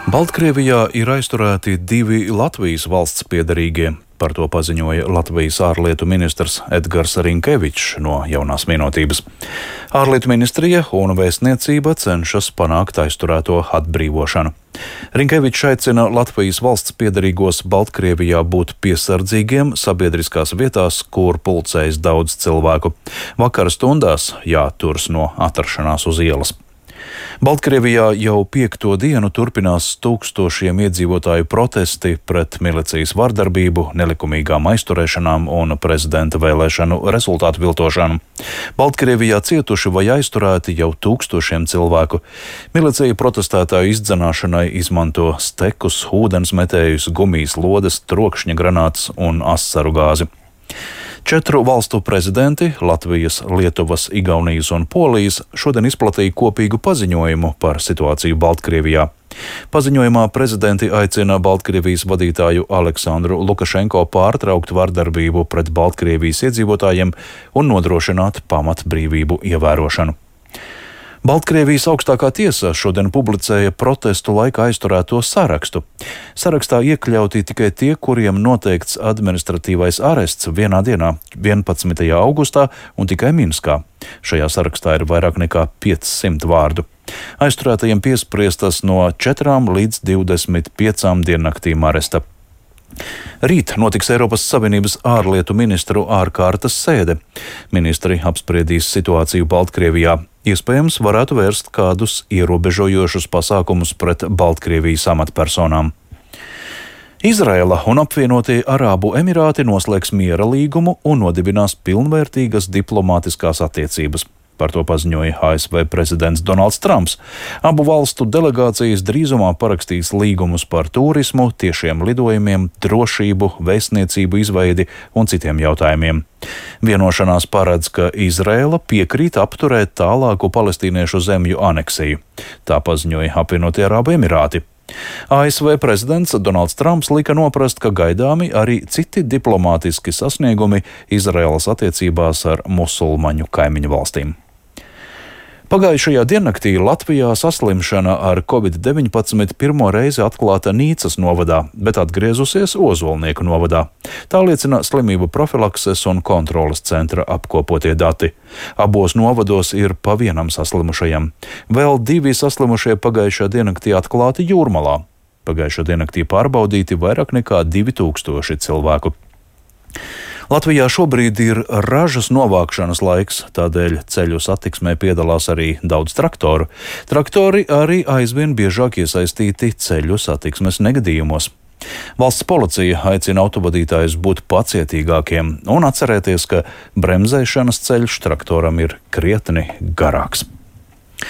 Baltkrievijā ir aizturēti 2 Latvijas valsts piederīgie. Par to paziņoja Latvijas ārlietu ministrs Edgars Rinkevičs no Jaunās Vienotības. Ārlietu ministrija un vēstniecība cenšas panākt aizturēto atbrīvošanu. Rinkevičs aicina Latvijas valsts piederīgos Baltkrievijā būt piesardzīgiem sabiedriskās vietās, kur pulcējas daudz cilvēku. Vakara stundās jāturas no atrašanās uz ielas. Baltkrievijā jau 5. dienu turpinās tūkstošiem iedzīvotāju protesti pret milicijas vardarbību, nelikumīgām aizturēšanām un prezidenta vēlēšanu rezultātu viltošanu. Baltkrievijā cietuši vai aizturēti jau tūkstošiem cilvēku. Milicija protestētāju izdzenāšanai izmanto stekus, ūdensmetējus, gumijas lodes, trokšņa granātas un asaru gāzi. 4 valstu prezidenti - Latvijas, Lietuvas, Igaunijas un Polijas - šodien izplatīja kopīgu paziņojumu par situāciju Baltkrievijā. Paziņojumā prezidenti aicina Baltkrievijas vadītāju Aleksandru Lukašenko pārtraukt vardarbību pret Baltkrievijas iedzīvotājiem un nodrošināt pamatbrīvību ievērošanu. Baltkrievijas augstākā tiesa šodien publicēja protestu laikā aizturēto sarakstu. Sarakstā iekļauti tikai tie, kuriem noteikts administratīvais arests vienā dienā, 11. augustā un tikai Minskā. Šajā sarakstā ir vairāk nekā 500 vārdu. Aizturētajiem piespriestas no 4 līdz 25 diennaktīm aresta. Rīt notiks Eiropas Savienības ārlietu ministru ārkārtas sēde. Ministri apspriedīs situāciju Baltkrievijā. Iespējams, varētu vērst kādus ierobežojošus pasākumus pret Baltkrievijas amatpersonām. Izraela un apvienotie Arābu Emirāti noslēgs miera līgumu un nodibinās pilnvērtīgas diplomātiskās attiecības. Par to paziņoja ASV prezidents Donalds Trumps. Abu valstu delegācijas drīzumā parakstīs līgumus par turismu, tiešiem lidojumiem, drošību, vēstniecību izveidi un citiem jautājumiem. Vienošanās paredz, ka Izraela piekrīt apturēt tālāku palestīniešu zemju aneksiju. Tā paziņoja apvienotie Arābu Emirāti. ASV prezidents Donalds Trumps lika noprast, ka gaidāmi arī citi diplomātiski sasniegumi Izraēlas attiecībās ar musulmaņu kaimiņu valstīm. Pagājušajā diennaktī Latvijā saslimšana ar Covid-19 pirmo reizi atklāta Nīcas novadā, bet atgriezusies Ozolnieku novadā. Tā liecina slimību profilakses un kontroles centra apkopotie dati. Abos novados ir pa vienam saslimušajam. Vēl 2 saslimušie pagājušajā diennaktī atklāti Jūrmalā. Pagājušajā diennaktī pārbaudīti vairāk nekā 2000 cilvēku. Latvijā šobrīd ir ražas novākšanas laiks, tādēļ ceļu satiksmē piedalās arī daudz traktoru. Traktori arī aizvien biežāk iesaistīti ceļu satiksmes negadījumos. Valsts policija aicina autovadītājus būt pacietīgākiem un atcerēties, ka bremzēšanas ceļš traktoram ir krietni garāks.